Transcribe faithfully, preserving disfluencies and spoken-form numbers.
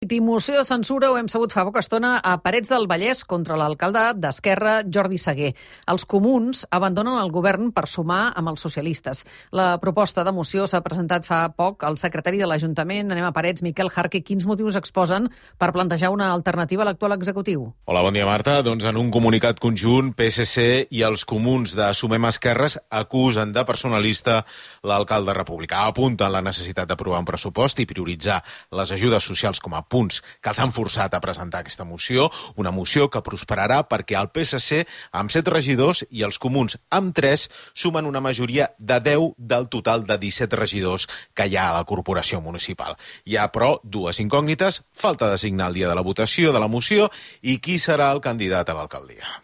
Moció de censura ho hem sabut fa poca estona a Parets del Vallès contra l'alcalde d'Esquerra, Jordi Seguer. Els comuns abandonen el govern per sumar amb els socialistes. La proposta de moció s'ha presentat fa poc al secretari de l'Ajuntament, anem a Parets, Miquel Jarque. Quins motius exposen per plantejar una alternativa a l'actual executiu? Hola, bon dia, Marta. Doncs en un comunicat conjunt, P S C i els comuns de Sumem Esquerres acusen de personalista l'alcalde republicà. Apunten la necessitat d'aprovar un pressupost i prioritzar les ajudes socials com a punts que els han forçat a presentar aquesta moció, una moció que prosperarà perquè el P S C amb set regidors i els comuns amb tres sumen una majoria de deu del total de disset regidors que hi ha a la corporació municipal. Hi ha, però, dues incògnites: falta designar el dia de la votació de la moció i qui serà el candidat a l'alcaldia.